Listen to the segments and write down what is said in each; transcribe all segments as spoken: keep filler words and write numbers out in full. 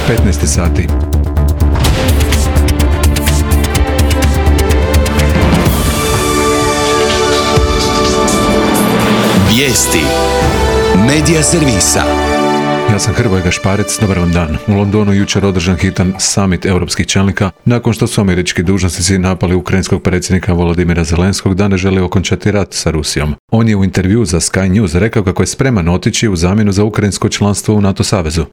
petnaest sati. Vijesti Medija servisa. Ja sam Hrvoje Gašparec, dobar vam dan. U Londonu jučer održan hitan summit europskih čelnika nakon što su američki dužnosnici napali ukrajinskog predsjednika Volodimira Zelenskog da ne želi okončati rat sa Rusijom. On je u intervju za Sky News rekao kako je spreman otići u zamjenu za ukrajinsko članstvo u NATO savezu.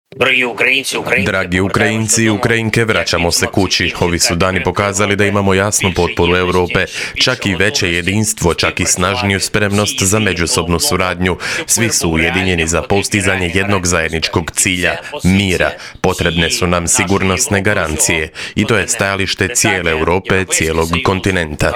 Dragi Ukrajinci i Ukrajinke, vraćamo se kući. Ovi su dani pokazali da imamo jasnu potporu Europe, čak i veće jedinstvo, čak i snažniju spremnost za međusobnu suradnju. Svi su ujedinjeni za postizanje jednog zajedničkog cilja, mira. Potrebne su nam sigurnosne garancije i to je stajalište cijele Europe, cijelog kontinenta.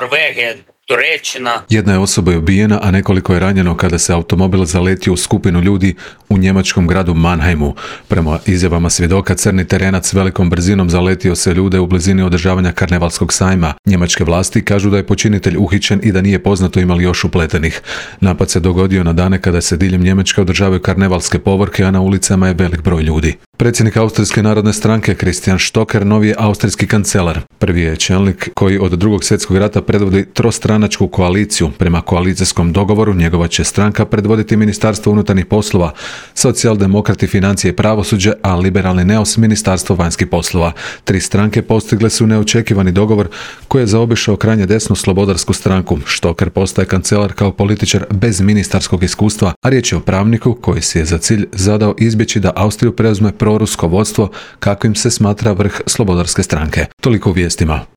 Jedna je osoba ubijena, a nekoliko je ranjeno kada se automobil zaletio u skupinu ljudi u njemačkom gradu Mannheimu. Prema izjavama svjedoka, crni terenac velikom brzinom zaletio se ljude u blizini održavanja karnevalskog sajma. Njemačke vlasti kažu da je počinitelj uhićen i da nije poznato ima li još upletenih. Napad se dogodio na dane kada se diljem Njemačke održavaju karnevalske povorke, a na ulicama je velik broj ljudi. Predsjednik Austrijske narodne stranke Christian Stocker novi je austrijski kancelar. Prvi je čelnik koji od drugog svjetskog rata predvodi trostranačku koaliciju. Prema koalicijskom dogovoru njegova će stranka predvoditi Ministarstvo unutarnjih poslova, socijaldemokrati financije i pravosuđe, a liberalni neos Ministarstvo vanjskih poslova. Tri stranke postigle su neočekivani dogovor koji je zaobišao krajnje desnu slobodarsku stranku. Stocker postaje kancelar kao političar bez ministarskog iskustva, a riječ je o pravniku koji si je za cilj zadao izbjeći da Austriju preuzme prorusko vodstvo kakvim se smatra vrh slobodarske stranke. Toliko u vijestima.